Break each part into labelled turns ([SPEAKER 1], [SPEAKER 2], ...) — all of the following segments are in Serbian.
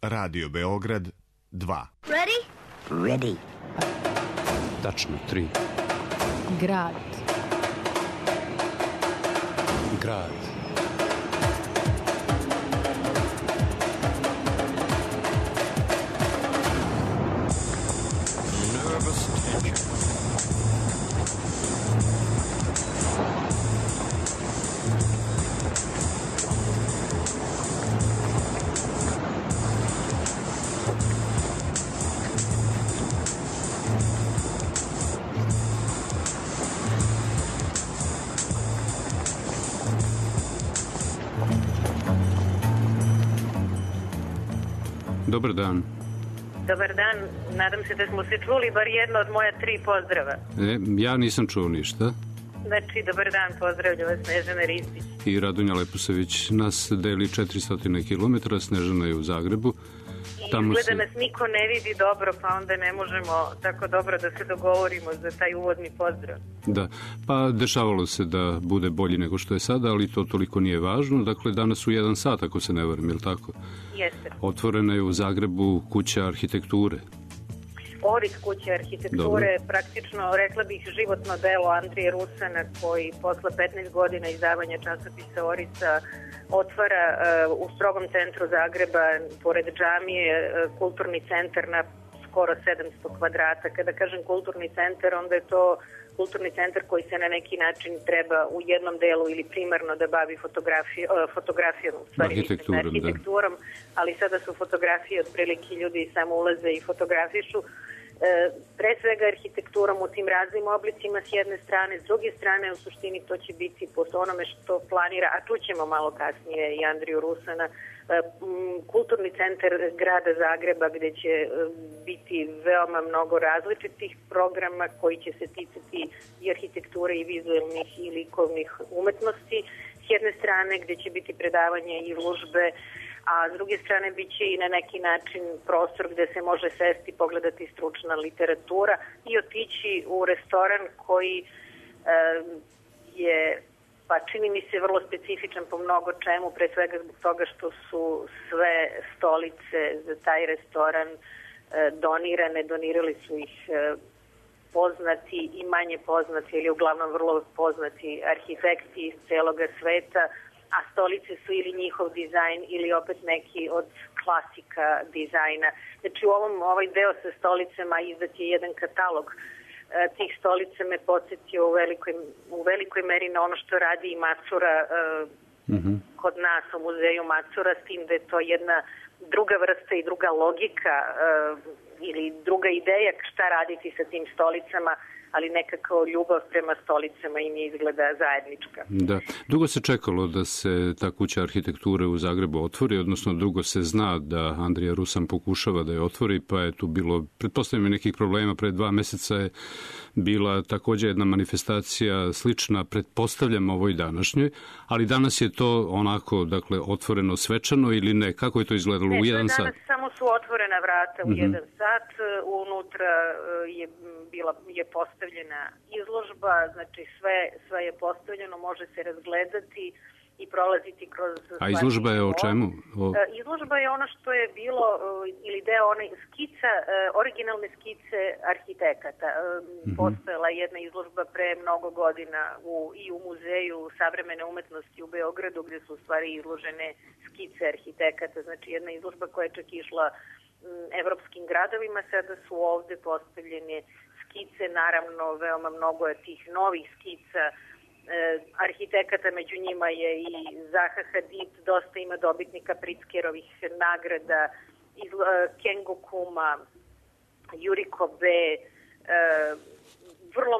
[SPEAKER 1] Radio Beograd 2.
[SPEAKER 2] Ready?
[SPEAKER 3] Ready.
[SPEAKER 4] Tačno 3.
[SPEAKER 5] Grad.
[SPEAKER 4] Grad.
[SPEAKER 6] Nervous tension.
[SPEAKER 4] Dobar dan.
[SPEAKER 7] Dobar dan, nadam se da smo se čuli bar jedno od moja 3 pozdrava.
[SPEAKER 4] Ja nisam čuo ništa.
[SPEAKER 7] Znači, dobar dan, pozdravlja vas Snežana Ristić.
[SPEAKER 4] I Radonja Leposavić nas deli 400 km, Snežana je u Zagrebu.
[SPEAKER 7] Izgleda nas niko ne vidi dobro, pa onda ne možemo tako dobro da se dogovorimo za taj uvodni pozdrav.
[SPEAKER 4] Da, pa dešavalo se da bude bolji nego što je sada, ali to toliko nije važno. Dakle, danas u 1 sat, ako se ne varam, je li tako?
[SPEAKER 7] Jeste.
[SPEAKER 4] Otvorena je u Zagrebu kuća arhitekture.
[SPEAKER 7] Oris kuće arhitekture, praktično, rekla bih, životno delo Andrije Rusana, koji posle 15 godina izdavanja časopisa Orisa otvara u strogom centru Zagreba, pored džamije, kulturni centar na skoro 700 kvadrata. Kada kažem kulturni centar, onda je to kulturni centar koji se na neki način treba u jednom delu ili primarno da bavi fotografijom, u stvari arhitekturom, ali sada su fotografije otprilike ljudi samo ulaze i fotografišu. Pre svega arhitekturom u tim raznim oblicima s jedne strane, s druge strane u suštini to će biti po onome što planira, a čućemo malo kasnije i Andriju Rusana, kulturni centar grada Zagreba gde će biti veoma mnogo različitih programa koji će se ticati i arhitekture i vizualnih i likovnih umetnosti. S jedne strane gde će biti predavanje i izložbe, a s druge strane bit će i na neki način prostor gde se može sesti, pogledati stručna literatura i otići u restoran koji je, pa čini mi se, vrlo specifičan po mnogo čemu, pre svega zbog toga što su sve stolice za taj restoran donirali su ih poznati i manje poznati, ili uglavnom vrlo poznati arhitekti iz celoga sveta, a stolice su ili njihov dizajn ili opet neki od klasika dizajna. Znači ovaj deo sa stolicama izdat je jedan katalog tih stolica me podsjetio u velikoj meri na ono što radi i Macura kod nas u muzeju Macura, s tim da je to jedna druga vrsta i druga logika ili druga ideja šta raditi sa tim stolicama, ali nekako ljubav prema stolicama im je izgleda zajednička.
[SPEAKER 4] Da. Dugo se čekalo da se ta kuća arhitekture u Zagrebu otvori, odnosno dugo se zna da Andrija Rusan pokušava da je otvori, pa je tu bilo, pretpostavljam, nekih problema. Pre 2 meseca je bila također jedna manifestacija slična, pretpostavljam, ovoj današnjoj, ali danas je to onako, dakle, otvoreno svečano ili ne? Kako je to izgledalo u 1 sat?
[SPEAKER 7] Danas samo su otvorena vrata u 1 sat, unutra je postavljena izložba, znači sve je postavljeno, može se razgledati i prolaziti kroz...
[SPEAKER 4] A izložba je o čemu?
[SPEAKER 7] Izložba je ono što je bilo, ili deo one originalne skice arhitekata. Postojala je jedna izložba pre mnogo godina i u Muzeju savremene umetnosti u Beogradu, gde su u stvari izložene skice arhitekata. Znači jedna izložba koja je čak išla evropskim gradovima, sada su ovde postavljene skice, naravno veoma mnogo je tih novih skica arhitekata, među njima je i Zaha Hadid, dosta ima dobitnika Pritzkerovih nagrada, Kengo Kuma, Yuriko Be, vrlo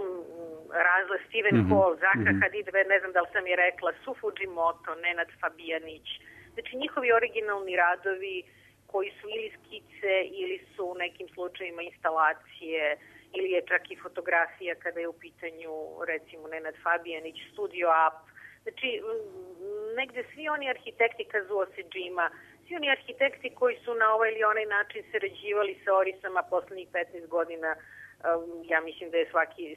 [SPEAKER 7] Steven Hall, Zaha Hadid, ne znam da li sam je rekla, Su Fujimoto, Nenad Fabijanić, znači njihovi originalni radovi koji su ili skice ili su u nekim slučajima instalacije ili je čak i fotografija kada je u pitanju, recimo, Nenad Fabijanić, Studio Up. Znači, negde svi oni arhitekti Kazuo Sejima, svi oni arhitekti koji su na ovaj ili onaj način sarađivali sa Orisama poslednjih 15 godina, ja mislim da je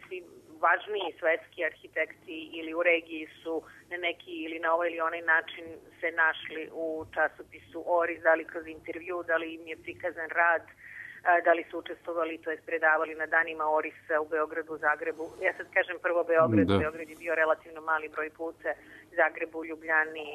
[SPEAKER 7] svi važniji svetski arhitekti ili u regiji su na neki ili na ovaj ili onaj način se našli u časopisu Oris, da li kroz intervju, da li im je prikazan rad, da li su učestvovali, to je predavali na danima Orisa u Beogradu, u Zagrebu. Ja sad kažem prvo Beograd, Beograd je bio relativno mali broj puta, Zagrebu, Ljubljani,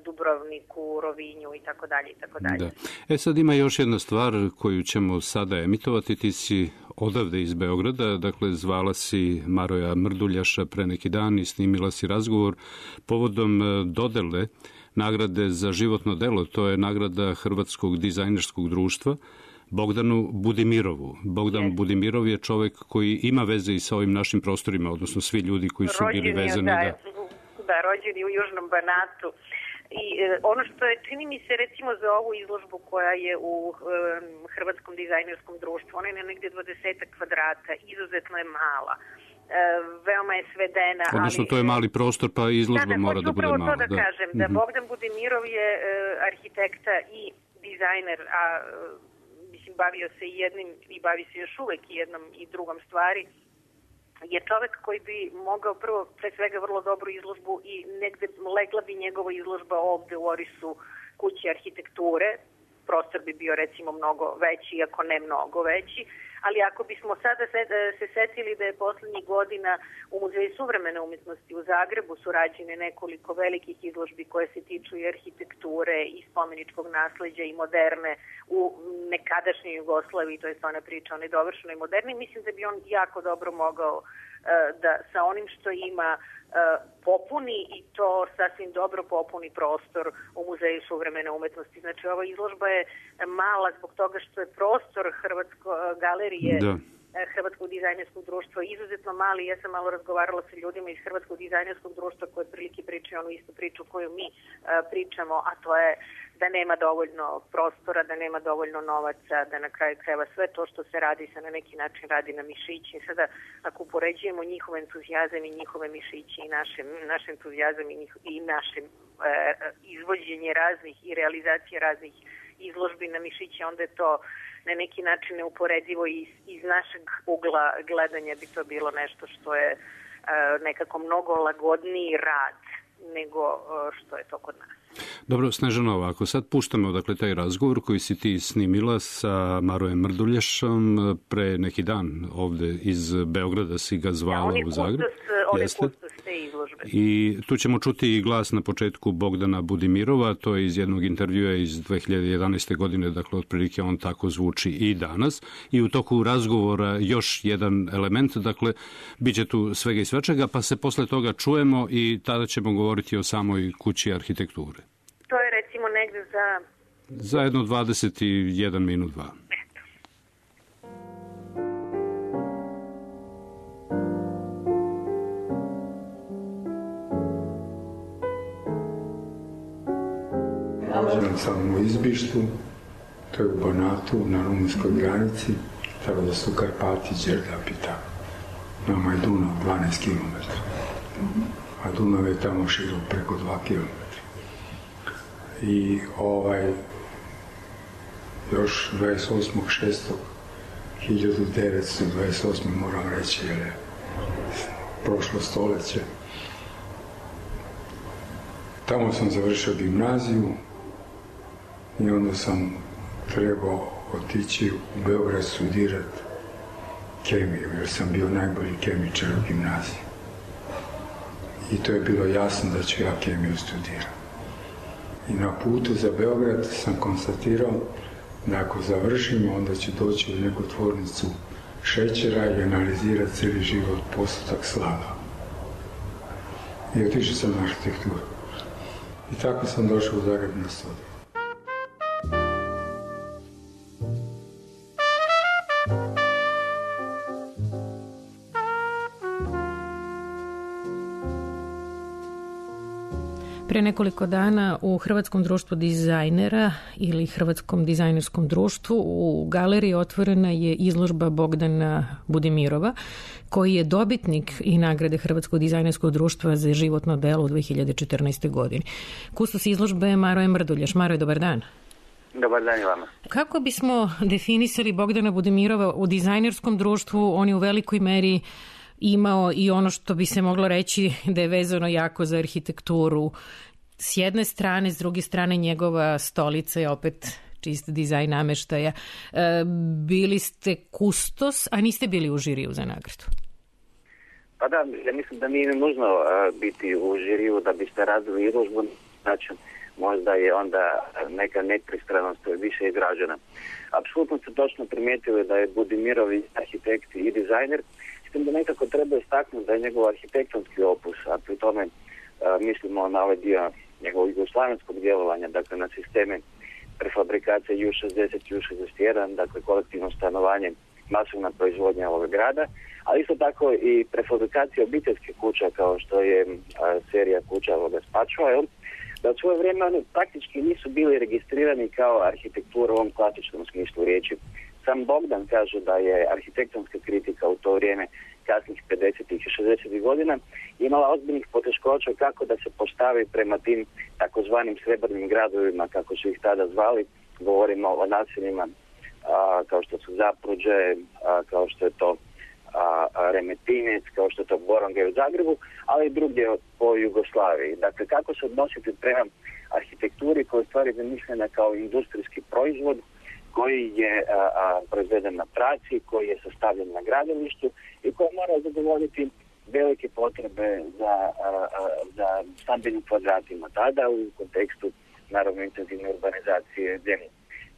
[SPEAKER 7] Dubrovniku, Rovinju i tako dalje i tako dalje.
[SPEAKER 4] Sad ima još jedna stvar koju ćemo sada emitovati. Ti si odavde iz Beograda, dakle zvala si Maroja Mrduljaša pre neki dan i snimila si razgovor povodom dodele nagrade za životno delo. To je nagrada Hrvatskog dizajnerskog društva Bogdanu Budimirovu. Bogdan Budimirov je čovek koji ima veze i sa ovim našim prostorima, odnosno svi ljudi koji su bili vezani.
[SPEAKER 7] Da, rođeni u Južnom Banatu. I ono što je, čini mi se recimo za ovu izložbu koja je u Hrvatskom dizajnerskom društvu, ona je na negdje 20 kvadrata, izuzetno je mala. Veoma je svedena.
[SPEAKER 4] Odnosno to je mali prostor, pa izložba mora da bude mala.
[SPEAKER 7] Da, to da kažem, da Bogdan Budimirov je arhitekta i dizajner, a mislim bavio se i jednim i bavi se još uvek i jednom i drugom stvari, je čovek koji bi mogao prvo, pre svega, vrlo dobru izložbu i negde legla bi njegova izložba ovde u Orisu kući arhitekture. Prostor bi bio recimo mnogo veći, iako ne mnogo veći, ali ako bismo sada se setili da je poslednjih godina u Muzeju suvremene umetnosti u Zagrebu su rađene nekoliko velikih izložbi koje se tiču i arhitekture i spomeničkog nasleđa i moderne u nekadašnjoj Jugoslaviji, to je ona priča o nedovršenoj moderni, mislim da bi on jako dobro mogao da sa onim što ima popuni i to sasvim dobro popuni prostor u Muzeju suvremene umetnosti. Znači, ova izložba je mala zbog toga što je prostor galerije Hrvatskog dizajnerskog društva izuzetno mali. Ja sam malo razgovarala sa ljudima iz Hrvatskog dizajnerskog društva koje prilike pričaju onu istu priču koju mi pričamo, a to je da nema dovoljno prostora, da nema dovoljno novaca, da na kraju krajeva sve to što se radi se na neki način radi na mišići. Sada, ako upoređujemo njihov entuzijazam i njihove mišići i naš entuzijazam i naše izvođenje raznih i realizacije raznih izložbi na mišići, onda je to na neki način neuporedivo i iz našeg ugla gledanja bi to bilo nešto što je nekako mnogo lagodniji rad nego što je to kod nas.
[SPEAKER 4] Dobro, Snežana, ovako, sad puštamo dakle taj razgovor koji si ti snimila sa Marojem Mrduljašom pre neki dan ovde iz Beograda, si ga zvala u Zagreb.
[SPEAKER 7] On je kustos te izložbe.
[SPEAKER 4] I tu ćemo čuti i glas na početku Bogdana Budimirova, to je iz jednog intervjua iz 2011. godine, dakle otprilike on tako zvuči i danas. I u toku razgovora još jedan element, dakle, bit će tu svega i svečega, pa se posle toga čujemo i tada ćemo govoriti o samoj kući arhitekture.
[SPEAKER 7] To je recimo negde
[SPEAKER 4] za jedno 21 minut, 2.
[SPEAKER 2] Rođen sam u Izbištu, to je u Banatu, na rumunskoj granici, tako da su Karpati, Đerdap i tako. Nama je Dunav 12 km, a Dunav je tamo širok preko 2 km. I još 28.6.1928. moram reći, jer je prošlo stoljeće. Tamo sam završio gimnaziju i onda sam trebao otići u Beograd studirati kemiju, jer sam bio najbolji kemičar u gimnaziji. I to je bilo jasno da ću ja kemiju studirati. I na putu za Beograd sam konstatirao da ako završim, onda ću doći u neku tvornicu šećera i analizirati cijeli život postotak slada. I otišao sam na arhitekturu. I tako sam došao u Zagreb na studiju.
[SPEAKER 5] Pre nekoliko dana u Hrvatskom društvu dizajnera ili Hrvatskom dizajnerskom društvu u galeriji otvorena je izložba Bogdana Budimirova, koji je dobitnik i nagrade Hrvatskog dizajnerskog društva za životno delo u 2014. godini. Kustos izložbe je Maroje Mrduljaš. Maroje, dobar dan.
[SPEAKER 3] Dobar dan i vama.
[SPEAKER 5] Kako bismo definisali Bogdana Budimirova u dizajnerskom društvu? On je u velikoj meri imao i ono što bi se moglo reći da je vezano jako za arhitekturu. S jedne strane, s druge strane njegova stolica je opet čist dizajn nameštaja. Bili ste kustos, a niste bili u žiriju za nagradu.
[SPEAKER 3] Pa da, ja mislim da nije nužno biti u žiriju da biste razvili izložbu. Znači, možda je onda neka nepristranost više izražena. Apsolutno ste točno primijetili da je Budimirov arhitekt i dizajner, s tim da nekako treba istaknuti da je njegov arhitektonski opus, a pri tome mislimo na ovaj dio njegovog jugoslavenskog djelovanja, dakle na sisteme prefabrikacije U60 i U61, dakle kolektivno stanovanje, masovna proizvodnja ovog grada, ali isto tako i prefabrikacija obiteljskih kuća kao što je serija kuća ovoga Spačova, da u svoje vrijeme oni praktički nisu bili registrirani kao arhitektura u ovom klasičnom smislu riječi. Sam Bogdan kaže da je arhitektonska kritika u to vrijeme kasnih 50. i 60. godina imala ozbiljnih poteškoća kako da se postavi prema tim takozvanim srebrnim gradovima, kako su ih tada zvali. Govorimo o naseljima kao što su Zapruđe, kao što je to Remetinec, kao što je to Borongaj u Zagrebu, ali i drugdje po Jugoslaviji. Dakle, kako se odnositi prema arhitekturi koja je stvari zamišljena kao industrijski proizvod koji je proizveden na traci, koji je sastavljen na gradilištu i koji mora zadovoljiti velike potrebe za stambenim kvadratima tada u kontekstu naravno intenzivne urbanizacije zemlje.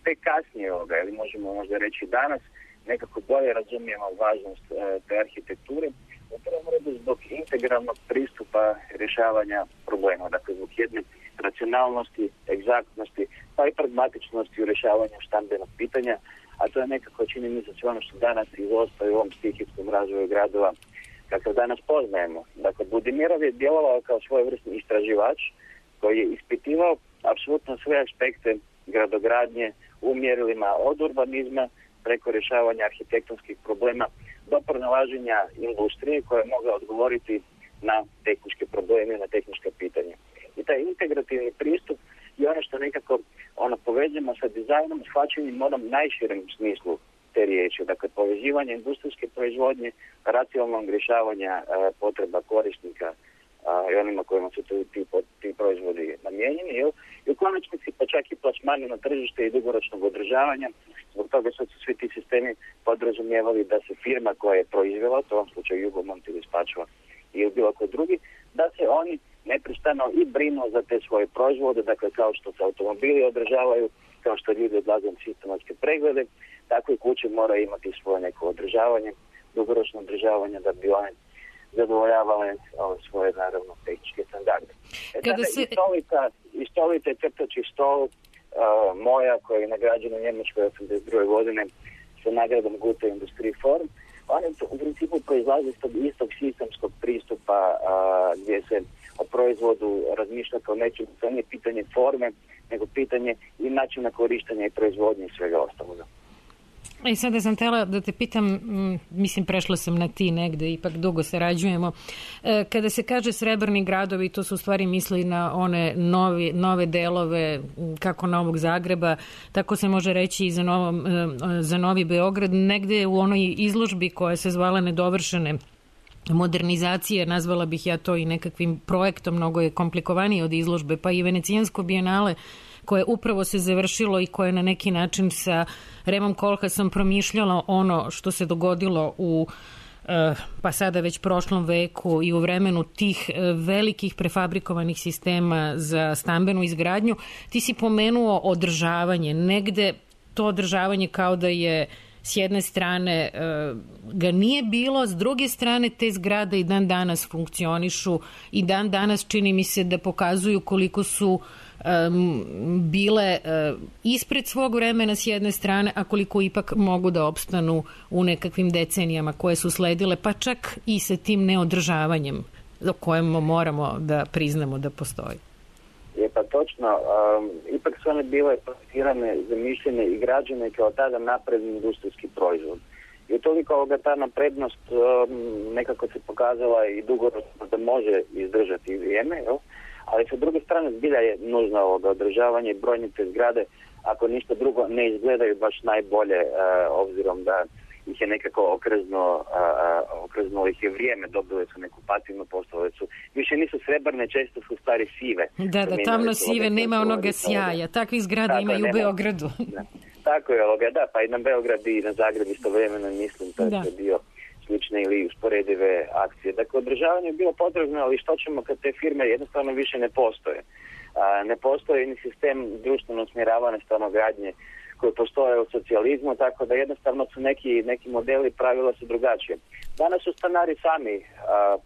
[SPEAKER 3] Tek kasnije ili možemo možda reći danas, nekako bolje razumijemo važnost te arhitekture, u prvom redu zbog integralnog pristupa rješavanja problema, dakle zbog jedne racionalnosti, egzaktnosti, pa i pragmatičnosti u rješavanju stambenog pitanja, a to je nekako, čini mi se, sve ono što danas izostaje u ovom stihijskom razvoju gradova kakav danas poznajemo. Dakle, Budimirov je djelovao kao svojevrsni istraživač koji je ispitivao apsolutno sve aspekte gradogradnje u mjerilima od urbanizma preko rješavanja arhitektonskih problema do pronalaženja industrije koja je mogla odgovoriti na tehničke probleme, na tehnička pitanja. I taj integrativni pristup je ono što nekako povežemo sa dizajnom, shvaćanjem onom najširem smislu te riječi. Dakle, povezivanje industrijske proizvodnje, racionalnog rješavanja potreba korisnika i onima kojima su ti proizvodi namijenjeni. I u konačnici pa čak i plasmani na tržište i dugoročnog održavanja. Zbog toga su svi ti sistemi podrazumijevali da se firma koja je proizvela, to u ovom slučaju Jugomont ili Spačva ili bilo koji drugi, da se oni neprestano i brinu za te svoje proizvode, dakle kao što se automobili održavaju, kao što ljudi odlaze na sistematske preglede, tako i kuće moraju imati svoje neko održavanje, dugoročno održavanje da bi one zadovoljavale svoje naravno tehničke standarde. I stolica je crtači stol moja koja je nagrađena u Njemačkoj 82. godine sa nagradom Gute Industrie Forum. On je u principu proizlazi iz tog istog sistemskog pristupa gdje se o proizvodu razmišlja kao nečem, to nije pitanje forme, nego pitanje i načina korištenja i proizvodnje i svega ostaloga.
[SPEAKER 5] I sada sam htjela da te pitam, mislim prešla sam na ti negde, ipak dugo sarađujemo. Kada se kaže srebrni gradovi, to su u stvari misli na one nove delove, kako Novog Zagreba, tako se može reći i za Novi Beograd, negde u onoj izložbi koja se zvala Nedovršene modernizacije, nazvala bih ja to i nekakvim projektom, mnogo je komplikovanije od izložbe, pa i Venecijansko bijenale koje upravo se završilo i koje na neki način sa Remom Koolhaasom promišljalo ono što se dogodilo u pa sada već prošlom veku i u vremenu tih velikih prefabrikovanih sistema za stambenu izgradnju. Ti si pomenuo održavanje. Negde to održavanje kao da je s jedne strane ga nije bilo, s druge strane te zgrade i dan danas funkcionišu i dan danas čini mi se da pokazuju koliko su bile ispred svog vremena s jedne strane, a koliko ipak mogu da opstanu u nekakvim decenijama koje su sledile, pa čak i sa tim neodržavanjem o kojem moramo da priznamo da postoji.
[SPEAKER 3] Je pa točno, ipak su one bile projektirane, zamišljene i građene kao tada napredni industrijski proizvod. I utoliko ta naprednost nekako se pokazala i dugoročno da može izdržati vrijeme, jel? Ali sa druge strane zbilja je nužno održavanje i brojne te zgrade, ako ništa drugo, ne izgledaju baš najbolje, obzirom da ih je nekako okrznulo ih je vrijeme, dobile su neku pasivnu, postale su, više nisu srebrne, često su stari sive.
[SPEAKER 5] Da, tamno sive, nema onoga sjaja. Takvih zgrada ima i u Beogradu.
[SPEAKER 3] Da. Tako je, da, pa i na Beograd i na Zagreb istovremeno, mislim, to je bio slične ili usporedive akcije. Dakle, održavanje je bilo potrebno, ali što ćemo kad te firme jednostavno više ne postoje? Ne postoji ni sistem društveno usmjeravane stanogradnje koji postoje u socijalizmu, tako da jednostavno su neki modeli, pravila su drugačije. Danas su stanari sami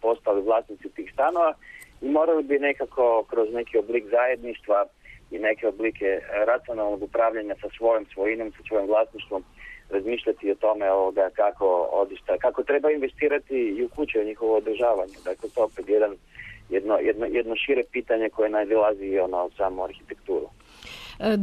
[SPEAKER 3] postali vlasnici tih stanova i morali bi nekako kroz neki oblik zajedništva i neke oblike racionalnog upravljanja sa svojom svojinom, sa svojim vlasništvom, razmišljati o tome kako treba investirati i u kuće u njihovo održavanje. Dakle, to opet jedno šire pitanje koje nadilazi u samu arhitekturu.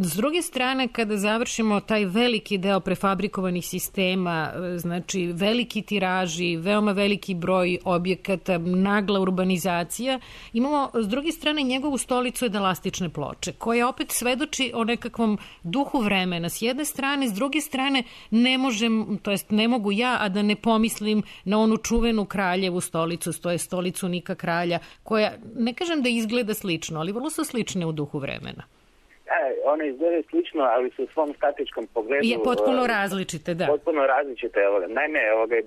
[SPEAKER 5] S druge strane, kada završimo taj veliki deo prefabrikovanih sistema, znači veliki tiraži, veoma veliki broj objekata, nagla urbanizacija, imamo s druge strane njegovu stolicu edelastične ploče, koja opet svedoči o nekakvom duhu vremena. S jedne strane, s druge strane ne mogu ja, a da ne pomislim na onu čuvenu kraljevu stolicu, to je stolicu Nika Kralja, koja, ne kažem da izgleda slično, ali vrlo su slične u duhu vremena.
[SPEAKER 3] One izgledaju slično, ali su u svom statičkom pogledu...
[SPEAKER 5] Potpuno različite, da.
[SPEAKER 3] Potpuno različite. Naime,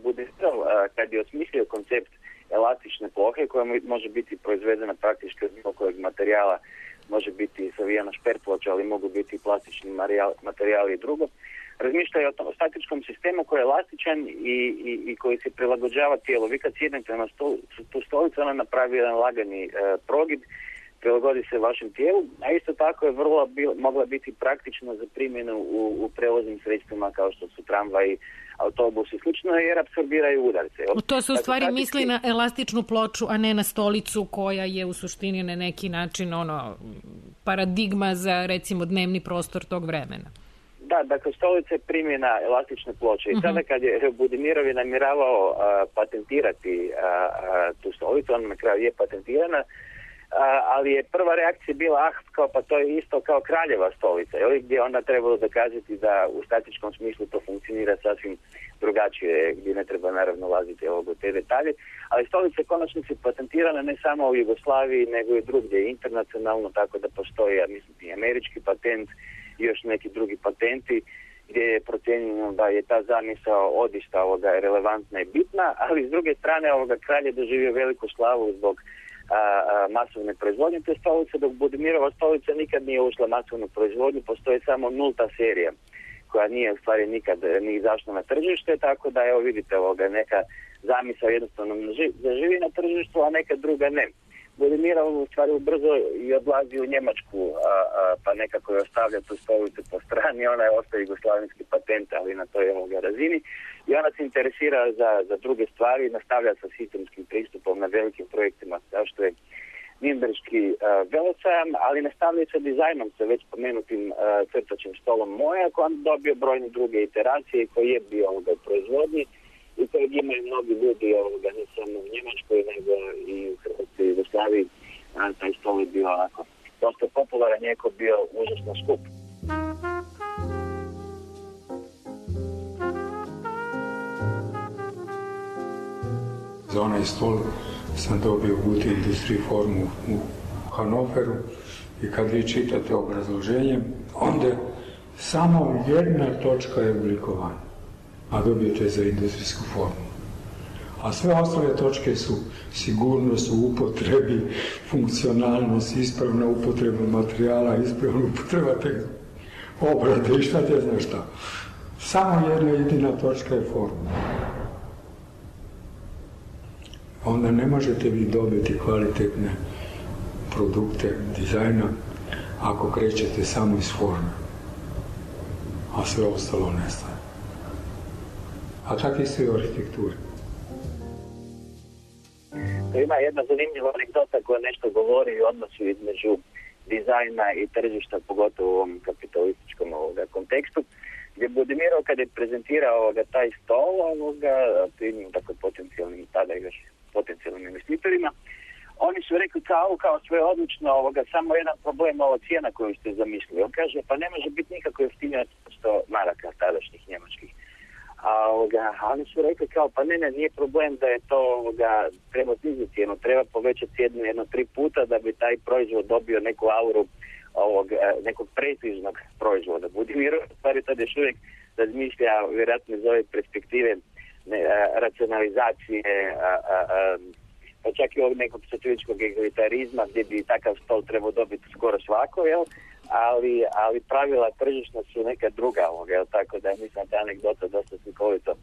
[SPEAKER 3] Budimirov, kad je osmislio koncept elastične plohe, koja može biti proizvedena praktički od bilo kojeg materijala, može biti savijana šperploča, ali mogu biti plastični materijali i drugo, razmišljaju o statičkom sistemu koji je elastičan i koji se prilagođava tijelu. Vi kad sjednete na tu stolicu, ona napravi jedan lagani progib, prilagodi se vašem tijelu, a isto tako je mogla biti praktična za primjenu u prevoznim sredstvima kao što su tramvaji, autobusi i slično, jer apsorbiraju udarce.
[SPEAKER 5] To se u stvari misli na elastičnu ploču, a ne na stolicu koja je u suštini na neki način paradigma za recimo dnevni prostor tog vremena.
[SPEAKER 3] Da, dakle, stolica je primjena elastične ploče. I sada kad je Budimirov je namjeravao patentirati tu stolicu, on na kraju je patentirana, ali je prva reakcija bila pa to je isto kao kraljeva stolica, gdje onda trebalo dokazati da u statičkom smislu to funkcionira sasvim drugačije, gdje ne treba naravno ulaziti u te detalje, ali stolica je konačnici patentirana ne samo u Jugoslaviji, nego i drugdje internacionalno, tako da postoji, ja mislim, i američki patent i još neki drugi patenti, gdje je procijenjeno da je ta zamisao odista relevantna i bitna, ali s druge strane kralj je doživio veliku slavu zbog masovne proizvodnje te stolice, dok Budimirova stolica nikad nije ušla masovnu proizvodnju, postoji samo 0. serija koja nije u stvari nikad ni izašla na tržište, tako da vidite neka zamisao jednostavno zaživi na tržištu, a neka druga ne. Budimirov u stvari brzo i odlazi u Njemačku, pa nekako je ostavlja tu stolicu po strani, ona je ostaje jugoslavenski patent, ali na toj razini. I ona se interesira za druge stvari, nastavlja sa sistemskim pristupom na velikim projektima, kao što je Nürnberški velosajam, ali nastavlja sa dizajnom, sa već spomenutim crtačim stolom Moja, koji on dobio brojne druge iteracije, koji je bio u proizvodnji i kojeg imaju mnogi ljudi ne samo u Njemačkoj, nego i u Hrvatskoj i Jugoslaviji. Taj stol je bio dosta popularan, njeko bio užasno skup.
[SPEAKER 2] Za onaj stol sam dobio Gute Industrie formu u Hanoveru i kad vi čitate obrazloženje, onda samo jedna točka je oblikovana, a dobijete za industrijsku formu. A sve ostale točke su sigurnost u upotrebi, funkcionalnost, ispravna upotreba materijala, ispravna upotreba obrade i šta te znaš šta. Samo jedna jedina točka je forma. Onda ne možete vi dobiti kvalitetne produkte dizajna ako krećete samo iz forme, a sve ostalo nestaje. A tako isto i u arhitekturi.
[SPEAKER 3] Ima jedna zanimljiva anegdota koja nešto govori o odnosu između dizajna i tržišta, pogotovo u ovom kapitalističkom kontekstu, gdje Budimirov kad je prezentirao taj stol dakle potencijalnim, tada još potencijalnim investitorima, oni su rekli kao sve je odlično, samo jedan problem, cijena koju ste zamislili. On kaže, pa ne može biti nikako jeftinija 100 maraka tadašnjih njemačkih. oni su rekli kao, pa ne, nije problem da je to, treba sniziti cijenu, treba povećati cijenu jedno 3 puta da bi taj proizvod dobio neku auru nekog prestižnog proizvoda. Budimir stvari tad još uvijek razmišlja vjerojatno iz ove perspektive racionalizacije, pa čak i ovog nekog satiričkog egalitarizma gdje bi takav stol trebao dobiti skoro svako, jel? Ali pravila tržišna su neka druga, jel? Tako da mislim da anegdota dosta slikovito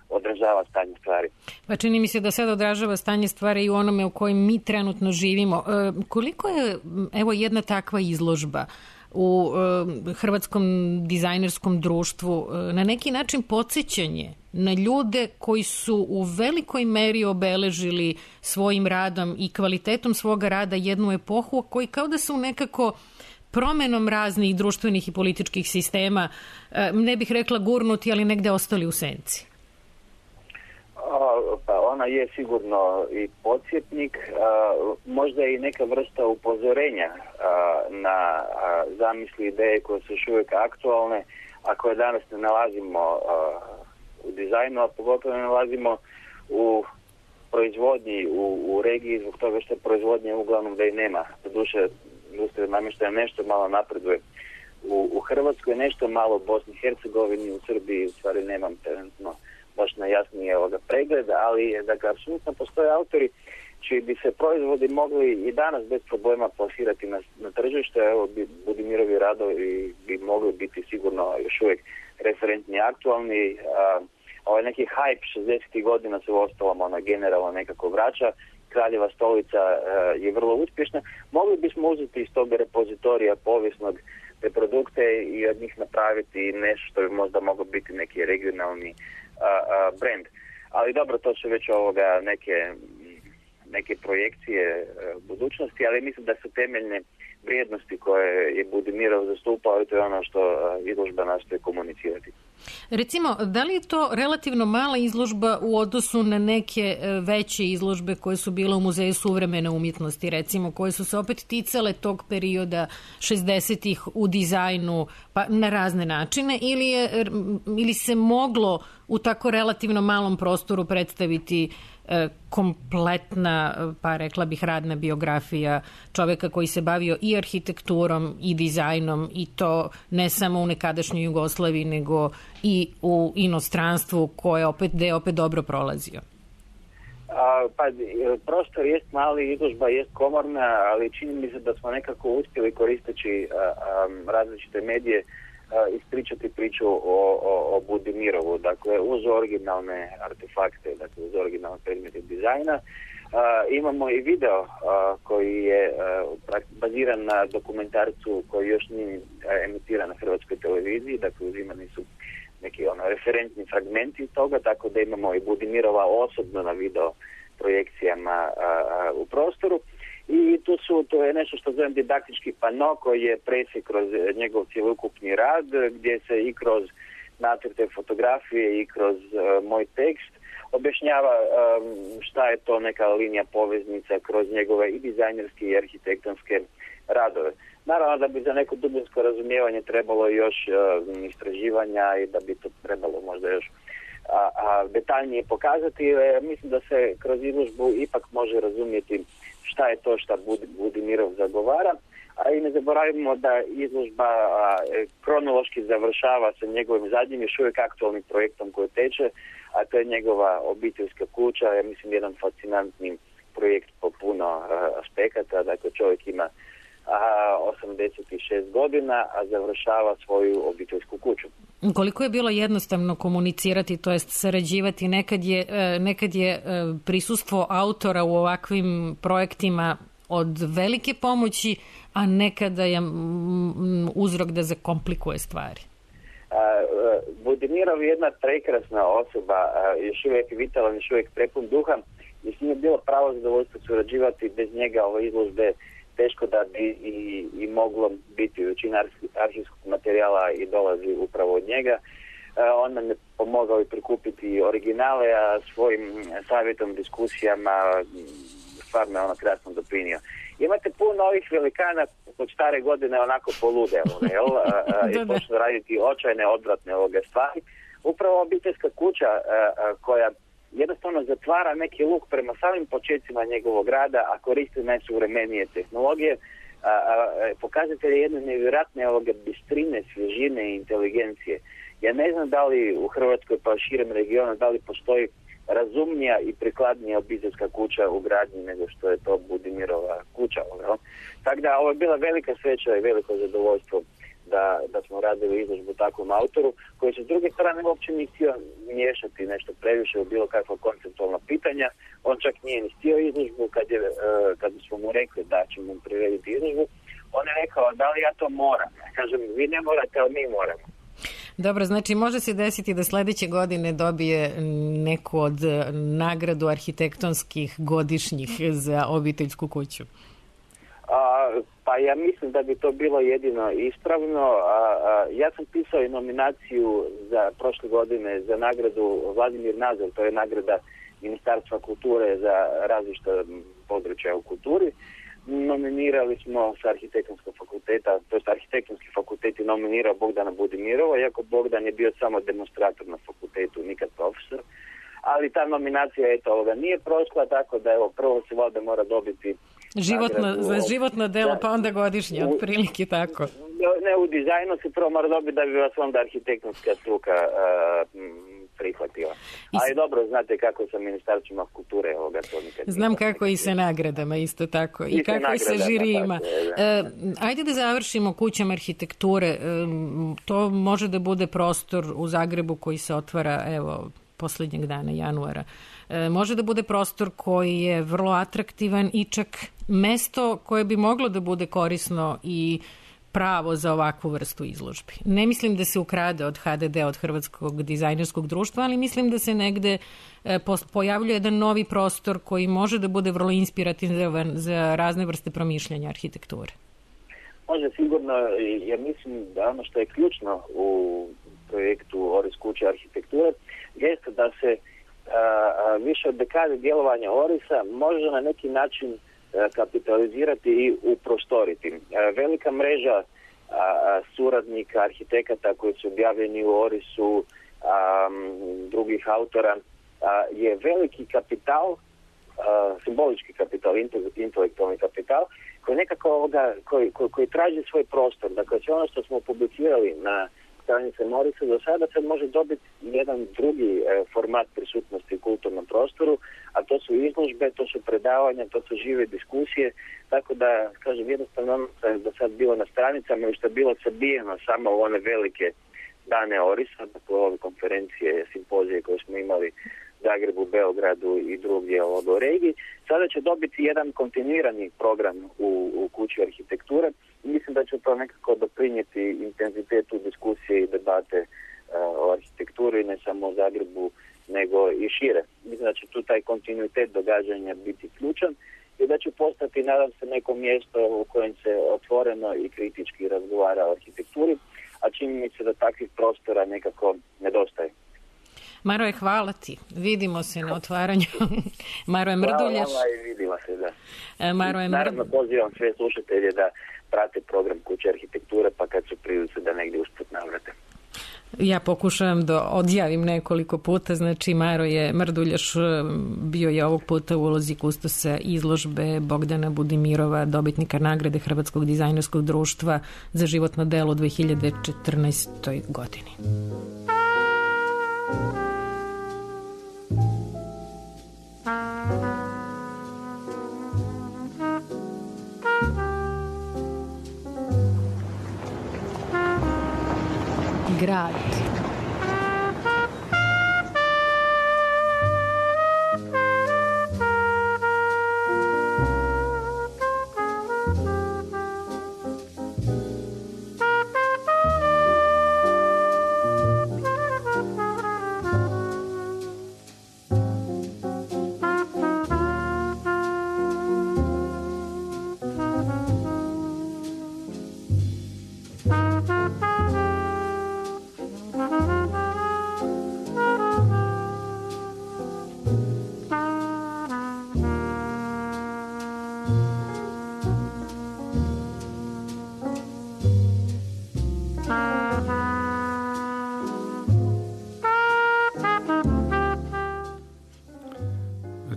[SPEAKER 3] odražava stanje stvari.
[SPEAKER 5] Pa čini mi se da sad odražava stanje stvari i u onome u kojem mi trenutno živimo. Koliko je, evo, jedna takva izložba u Hrvatskom dizajnerskom društvu na neki način podsjećanje na ljude koji su u velikoj meri obeležili svojim radom i kvalitetom svoga rada jednu epohu koji kao da su nekako promenom raznih društvenih i političkih sistema, ne bih rekla gurnuti, ali negde ostali u senci?
[SPEAKER 3] Pa ona je sigurno i podsjetnik, možda i neka vrsta upozorenja na zamisli, ideje koje su još uvijek aktualne, a koje danas ne nalazimo u dizajnu, a pogotovo ne nalazimo u proizvodnji, u regiji, zbog toga što proizvodnje uglavnom da i nema. Doduše, industrija namještaja nešto malo napreduje u Hrvatskoj, nešto malo u Bosni i Hercegovini, u Srbiji, u stvari nemam trenutno baš najjasnije pregled, ali dakle, apsolutno postoje autori čiji bi se proizvodi mogli i danas bez problema plasirati na tržište. Evo, Budimirovi radovi bi mogli biti sigurno još uvijek referentni i aktualni. Ovaj neki hype 60. godina se u ostalom generalno nekako vraća. Kraljeva stolica je vrlo uspješna. Mogli bismo uzeti iz tog repozitorija povijesnog te produkte i od njih napraviti nešto što bi možda moglo biti neki regionalni brand. Ali dobro, to su već neke projekcije budućnosti, ali mislim da su temeljne vrijednosti koje je Budimirov zastupao i to je ono što izložba nastoji komunicirati.
[SPEAKER 5] Recimo, da li je to relativno mala izložba u odnosu na neke veće izložbe koje su bile u Muzeju suvremene umjetnosti, recimo, koje su se opet ticale tog perioda 60-ih u dizajnu pa na razne načine, ili se moglo u tako relativno malom prostoru predstaviti kompletna, pa rekla bih, radna biografija čoveka koji se bavio i arhitekturom i dizajnom, i to ne samo u nekadašnjoj Jugoslaviji nego i u inostranstvu koje opet dobro prolazio?
[SPEAKER 3] Pa prostor jest mali, izložba jest komorna, ali čini mi se da smo nekako uspjeli koristeći različite medije ispričati priču o Budimirovu, dakle uz originalne artefakte, dakle uz originalne predmete dizajna. Imamo i video koji je baziran na dokumentarcu koji još nije emitiran na Hrvatskoj televiziji, dakle uzimani su neki referentni fragmenti toga, tako da imamo i Budimirova osobno na video projekcijama u prostoru. I to je nešto što zovem didaktički pano koji je presjek kroz njegov cjelokupni rad, gdje se i kroz nacrte fotografije i kroz moj tekst objašnjava šta je to neka linija poveznica kroz njegove i dizajnerske i arhitektonske radove. Naravno da bi za neko dubinsko razumijevanje trebalo još istraživanja i da bi to trebalo možda još detaljnije pokazati. Mislim da se kroz izložbu ipak može razumjeti šta je to šta Budimirov zagovara, a i ne zaboravimo da izložba kronološki završava sa njegovim zadnjim još uvijek aktualnim projektom koji teče, a to je njegova obiteljska kuća, ja mislim jedan fascinantni projekt po puno aspekata, dakle čovjek ima 86 godina, a završava svoju obiteljsku kuću.
[SPEAKER 5] Koliko je bilo jednostavno komunicirati, to jest sarađivati? Nekad je prisustvo autora u ovakvim projektima od velike pomoći, a nekada je uzrok da zakomplikuje stvari.
[SPEAKER 3] Budimirov je jedna prekrasna osoba, još uvijek vitalan, još uvijek prepun duha i s njim je bilo pravo zadovoljstvo surađivati. Bez njega ove izložbe teško da bi i moglo biti. Većina arhivskog materijala i dolazi upravo od njega. On nam je pomogao i prikupiti originale, a svojim savjetom, diskusijama stvarno je krasno doprinio. Imate puno ovih velikana od stare godine onako polude, i počnu raditi očajne odvratne stvari. upravo obiteljska kuća koja jednostavno zatvara neki luk prema samim početcima njegovog rada, a koristi najsuvremenije tehnologije, pokazatelj jedne nevjerojatne bistrine, svježine i inteligencije. Ja ne znam da li u Hrvatskoj pa širem regionu da li postoji razumnija i prikladnija obiteljska kuća u gradnji nego što je to Budimirova kuća. Tako da ovo je bila velika sreća i veliko zadovoljstvo da smo radili izložbu takvom autoru koji se s druge strane uopće nije htio miješati nešto previše u bilo kakva konceptualna pitanja. On čak nije ni htio izložbu kad smo mu rekli da ćemo mu prirediti izložbu. On je rekao da li ja to moram. Kažem, vi ne morate, ali mi moramo.
[SPEAKER 5] Dobro, znači može se desiti da sledeće godine dobije neku od nagradu arhitektonskih godišnjih za obiteljsku kuću?
[SPEAKER 3] Pa ja mislim da bi to bilo jedino ispravno. Ja sam pisao i nominaciju za prošle godine za nagradu Vladimir Nazor, to je nagrada Ministarstva kulture za različita područja u kulturi. Nominirali smo sa arhitektonskog fakulteta, to je arhitektonski fakultet je nominirao Bogdana Budimirova, iako Bogdan je bio samo demonstrator na fakultetu, nikad profesor. Ali ta nominacija nije prošla, tako da prvo se valjda mora dobiti
[SPEAKER 5] za životno delo, pa onda godišnje, otprilike tako.
[SPEAKER 3] Ne, u dizajnu se prvo mora dobiti da bi vas onda arhitektonska struka prihvatila. Ali dobro, znate kako sa ministarstvima kulture to nikad.
[SPEAKER 5] Znam kako i sa nagradama isto tako. I kako i sa žirijima. Ajde da završimo kućom arhitekture. To može da bude prostor u Zagrebu koji se otvara, poslednjeg dana januara. Može da bude prostor koji je vrlo atraktivan i čak mesto koje bi moglo da bude korisno i pravo za ovakvu vrstu izložbi. Ne mislim da se ukrade od HDD, od Hrvatskog dizajnerskog društva, ali mislim da se negde pojavljuje jedan novi prostor koji može da bude vrlo inspirativan za razne vrste promišljanja arhitekture.
[SPEAKER 3] Može sigurno, jer mislim da ono što je ključno u projektu Oris kuće arhitekture jeste da se više od dekade djelovanja Orisa može na neki način kapitalizirati i uprostoriti. Velika mreža suradnika, arhitekata koji su objavljeni u Orisu, drugih autora, je veliki kapital, simbolički kapital, intelektualni kapital, koji nekako koji traži svoj prostor. Dakle, sve ono što smo publicirali na stranice Morisa do sada sad može dobiti jedan drugi format prisutnosti u kulturnom prostoru, a to su izložbe, to su predavanja, to su žive diskusije, tako da, kažem, jednostavno ono što je do sad bilo na stranicama i što je bilo sabijeno samo u one velike dane Orisa, dakle ove konferencije, simpozije koje smo imali u Zagrebu, Beogradu i drugdje u regiji, sada će dobiti jedan kontinuirani program u kući arhitekture. Mislim da će to nekako doprinijeti intenzitetu diskusije i debate o arhitekturi, ne samo u Zagrebu, nego i šire. Mislim da će tu taj kontinuitet događanja biti ključan i da će postati, nadam se, neko mjesto u kojem se otvoreno i kritički razgovara o arhitектuri, a čini mi se da takvih prostora nekako nedostaje.
[SPEAKER 5] Maroje, hvala ti. Vidimo se na otvaranju. Maroje Mrduljaš.
[SPEAKER 3] Hvala i vidimo se, da. Naravno, pozivam sve slušatelje da prate program kuće arhitekture, pa kad su prilice da negdje usput navrate.
[SPEAKER 5] Ja pokušavam da odjavim nekoliko puta, znači Maroje Mrduljaš bio je ovog puta u ulozi kustosa izložbe Bogdana Budimirova, dobitnika nagrade Hrvatskog dizajnerskog društva za životno delo u 2014. godini. Grad.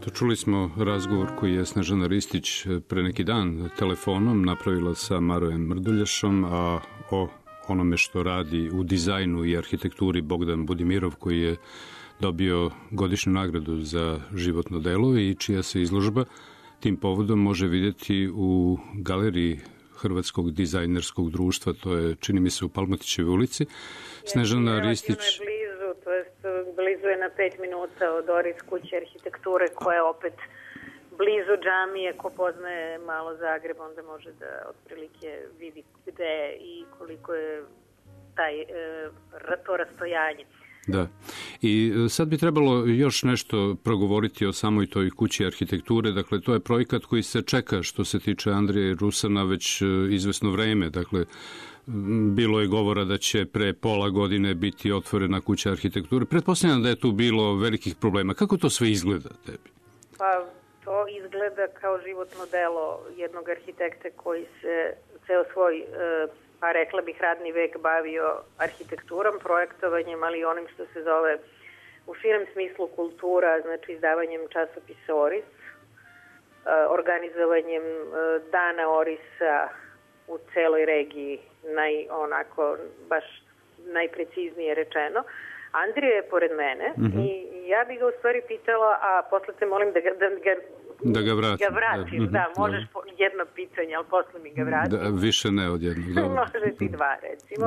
[SPEAKER 4] Eto, čuli smo razgovor koji je Snežana Ristić pre neki dan telefonom napravila sa Marojem Mrduljašom, a o onome što radi u dizajnu i arhitekturi Bogdan Budimirov, koji je dobio godišnju nagradu za životno delo i čija se izložba tim povodom može vidjeti u galeriji Hrvatskog dizajnerskog društva, to je, čini mi se, u Palmotićevoj ulici. Snežana Ristić...
[SPEAKER 7] Blizu je na 5 minuta od Oris kuće arhitekture, koja je opet blizu džamije. Ko poznaje malo Zagreb, onda može da otprilike vidi gde i koliko je to rastojanje.
[SPEAKER 4] Da. I sad bi trebalo još nešto progovoriti o samoj toj kući arhitekture. Dakle, to je projekat koji se čeka što se tiče Andrije Rusana već izvesno vreme. Dakle, bilo je govora da će pre pola godine biti otvorena kuća arhitekture. Pretpostavljam da je tu bilo velikih problema. Kako to sve izgleda tebi?
[SPEAKER 7] Pa, to izgleda kao životno delo jednog arhitekta koji se ceo svoj pa rekla bih radni vek bavio arhitekturom, projektovanjem, ali i onim što se zove u širem smislu kultura, znači izdavanjem časopisa Oris, organizovanjem dana Orisa u celoj regiji, onako baš najpreciznije rečeno. Andrija je pored mene i ja bih ga u stvari pitala, a posle te molim da ga vratim. Da, možeš jedno pitanje, ali posle mi ga vrati.
[SPEAKER 4] Da, više ne od jednog.
[SPEAKER 7] Može ti dva, recimo.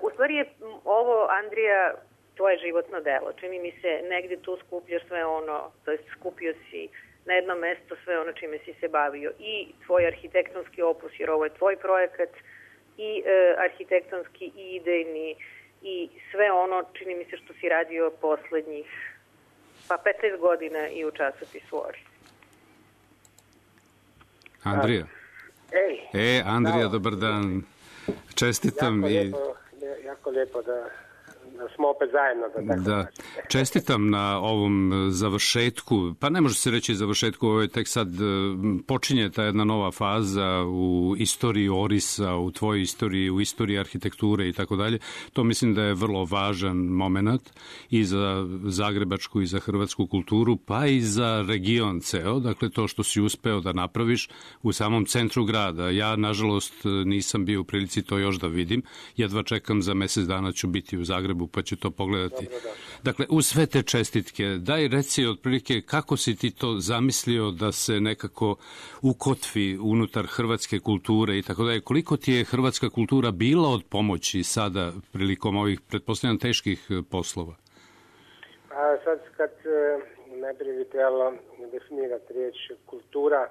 [SPEAKER 7] U stvari je ovo, Andrija, tvoje životno delo. Čini mi se, negdje tu skupljaš sve ono, to jest skupio si na jedno mesto sve ono čime si se bavio. I tvoj arhitektonski opus, jer ovo je tvoj projekat, i arhitektonski, i idejni, i sve ono, čini mi se, što si radio poslednjih 15 godina i u časopisu Oris.
[SPEAKER 4] Andrija. Andrija, dobar dan. Čestitam.
[SPEAKER 8] Jako lijepo da smo opet zajedno.
[SPEAKER 4] Da. Čestitam na ovom završetku, pa ne može se reći završetku, ovo je tek sad počinje ta jedna nova faza u istoriji Orisa, u tvojoj istoriji, u istoriji arhitekture i tako dalje. To mislim da je vrlo važan moment i za zagrebačku i za hrvatsku kulturu, pa i za region ceo. Dakle, to što si uspeo da napraviš u samom centru grada. Ja, nažalost, nisam bio u prilici to još da vidim. Jedva čekam, za mesec dana ću biti u Zagrebu, pa ću to pogledati. Dakle, uz sve te čestitke, daj reci otprilike kako si ti to zamislio da se nekako ukotvi unutar hrvatske kulture i tako dalje. Koliko ti je hrvatska kultura bila od pomoći sada prilikom ovih, pretpostavljam, teških poslova?
[SPEAKER 8] A sad kad najprije bi trebalo definirati riječ kultura,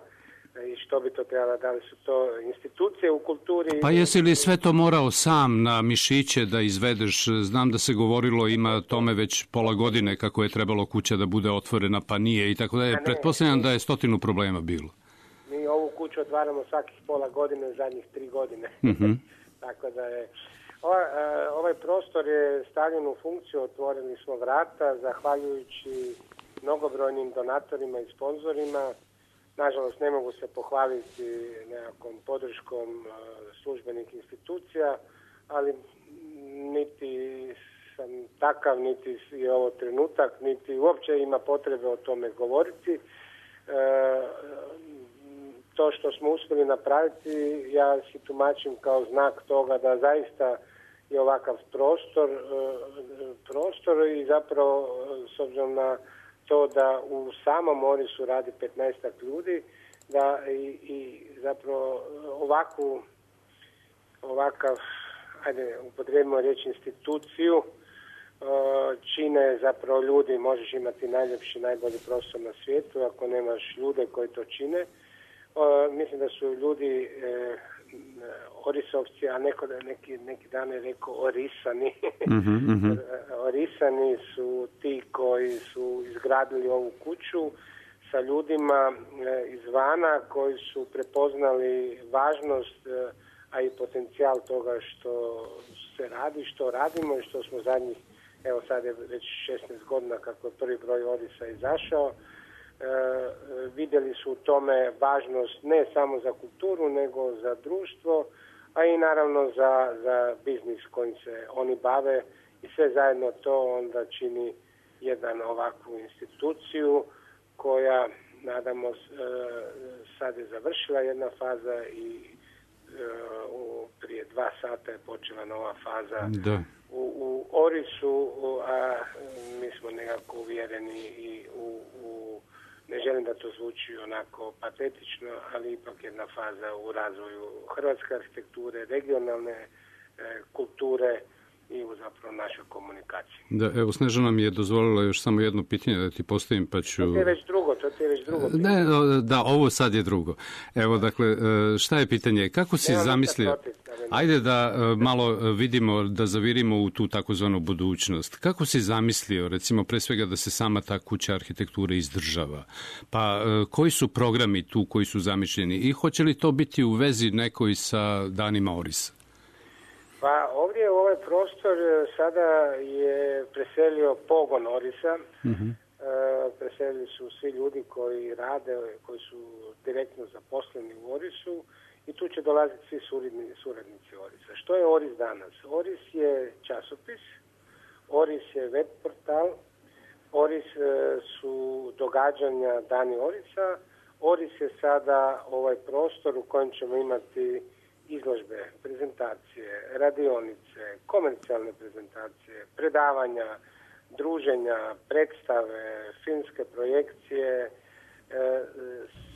[SPEAKER 8] i što bi to trebalo, da li su to institucije u kulturi?
[SPEAKER 4] Pa jesi li sve to morao sam na mišiće da izvedeš? Znam da se govorilo, ima tome već pola godine kako je trebalo kuća da bude otvorena, pa nije i tako da je. Pretpostavljam da je 100 problema bilo.
[SPEAKER 8] Mi ovu kuću otvaramo svakih pola godine, zadnjih 3 godine. Tako da je... Ovaj prostor je stavljen u funkciju, otvorili smo vrata, zahvaljujući mnogobrojnim donatorima i sponzorima. Nažalost, ne mogu se pohvaliti nekakvom podrškom službenih institucija, ali niti sam takav, niti je ovo trenutak, niti uopće ima potrebe o tome govoriti. To što smo uspjeli napraviti, ja si tumačim kao znak toga da zaista je ovakav prostor i zapravo s obzirom na to da u samom Orisu radi 15 ljudi, da i zapravo ovakav, ajde, upotrijebimo riječ instituciju, čine zapravo ljudi. Možeš imati najljepši, najbolji prostor na svijetu, ako nemaš ljude koji to čine. Mislim da su ljudi Orisovci, a neki dan je rekao Orisani. Orisani su ti koji su izgradili ovu kuću sa ljudima izvana koji su prepoznali važnost, a i potencijal toga što se radi, što radimo i što smo zadnjih, evo sad je već 16 godina kako je prvi broj Orisa izašao. Vidjeli su u tome važnost ne samo za kulturu, nego za društvo, a i naravno za biznis kojim se oni bave i sve zajedno to onda čini jedan ovakvu instituciju koja, nadamo, sad je završila jedna faza i prije 2 sata je počela nova faza u Orisu, a mi smo nekako uvjereni i ne želim da to zvuči onako patetično, ali ipak jedna faza u razvoju hrvatske arhitekture, regionalne kulture i u zapravo našoj komunikaciji.
[SPEAKER 4] Da, evo, Snežana mi je dozvolila još samo jedno pitanje da ti postavim, pa ću...
[SPEAKER 8] To ti je već drugo.
[SPEAKER 4] Ne, da, ovo sad je drugo. Evo, dakle, šta je pitanje? Kako si zamislio... Ajde da malo vidimo, da zavirimo u tu takozvanu budućnost. Kako si zamislio, recimo, pre svega da se sama ta kuća arhitekture izdržava? Pa koji su programi tu koji su zamišljeni? I hoće li to biti u vezi nekoj sa danima Orisa?
[SPEAKER 8] Pa ovdje u ovaj prostor sada je preselio pogon Orisa. Preselili su svi ljudi koji rade, koji su direktno zaposleni u Orisu i tu će dolaziti svi suradnici Orisa. Što je Oris danas? Oris je časopis, Oris je web portal, Oris su događanja Dani Orisa, Oris je sada ovaj prostor u kojem ćemo imati izložbe, prezentacije, radionice, komercijalne prezentacije, predavanja, druženja, predstave, filmske projekcije,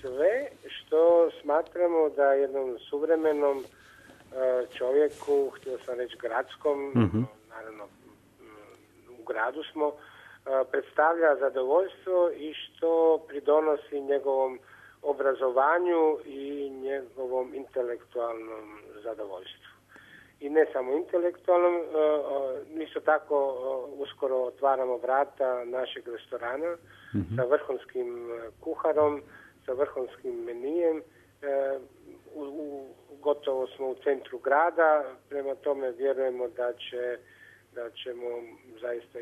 [SPEAKER 8] sve što smatramo da jednom suvremenom čovjeku, htio sam reći gradskom, naravno u gradu smo, predstavlja zadovoljstvo i što pridonosi njegovom obrazovanju i njegovom intelektualnom zadovoljstvu. I ne samo intelektualnom, isto tako uskoro otvaramo vrata našeg restorana sa vrhunskim kuharom, sa vrhunskim menijem. Gotovo smo u centru grada, prema tome vjerujemo da ćemo zaista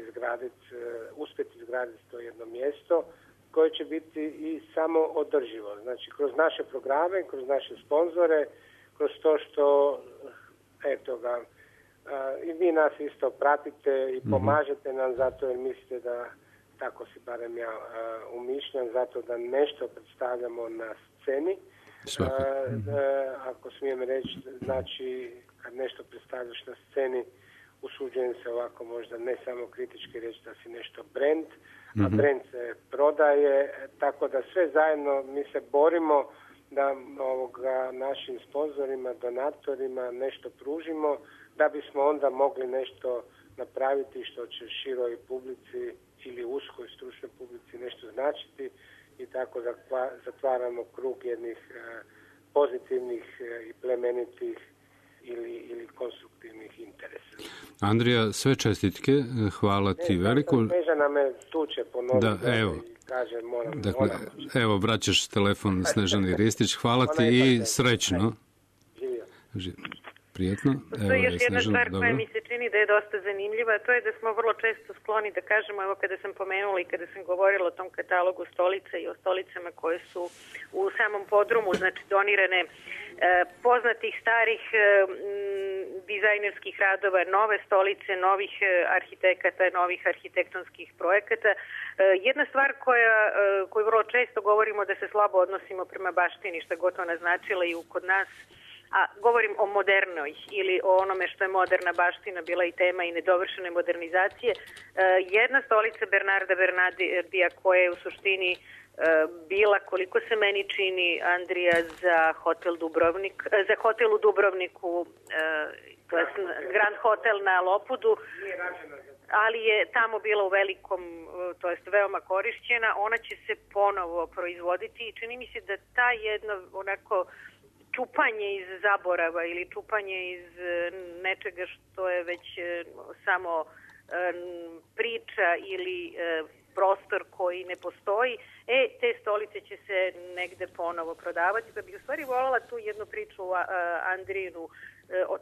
[SPEAKER 8] uspjeti izgraditi to jedno mjesto koje će biti i samo održivo. Znači, kroz naše programe, kroz naše sponzore, kroz to što, eto ga, i vi nas isto pratite i pomažete nam zato jer mislite da, tako si barem ja umišljam, zato da nešto predstavljamo na sceni. Ako smijem reći, znači, kad nešto predstavljaš na sceni, usuđujem se ovako možda ne samo kritički reći da si nešto brand, a brand se prodaje, tako da sve zajedno mi se borimo da našim sponzorima, donatorima nešto pružimo, da bismo onda mogli nešto napraviti što će široj publici ili uskoj stručnoj publici nešto značiti i tako zatvaramo krug jednih pozitivnih i plemenitih ili konstruktivnih interesa.
[SPEAKER 4] Andrija, sve čestitke, hvala ti veliko.
[SPEAKER 8] Snežana me tuče ponovno
[SPEAKER 4] i
[SPEAKER 8] kaže moram.
[SPEAKER 4] Dakle, evo, vraćaš telefon Snežani Ristić, hvala ti i srećno. Živio. Prijetno.
[SPEAKER 7] Postoji još jedna stvar koja mi se čini da je dosta zanimljiva, a to je da smo vrlo često skloni da kažemo, evo kada sam pomenula i kada sam govorila o tom katalogu stolica i o stolicama koje su u samom podrumu, znači donirane poznatih starih dizajnerskih radova, nove stolice, novih arhitekata, novih arhitektonskih projekata. Jedna stvar koju vrlo često govorimo da se slabo odnosimo prema baštini, što god ona značila i kod nas, a govorim o modernoj ili o onome što je moderna baština bila i tema i nedovršene modernizacije. Jedna stolica Bernarda Bernardija koja je u suštini bila, koliko se meni čini, Andrija, za hotel u Dubrovniku, to je Grand Hotel na Lopudu, ali je tamo bila u velikom, to jest veoma korišćena. Ona će se ponovo proizvoditi i čini mi se da ta jedno onako čupanje iz zaborava ili čupanje iz nečega što je već samo priča ili prostor koji ne postoji, te stolice će se negde ponovo prodavati. Pa bih u stvari voljela tu jednu priču Andrijinu o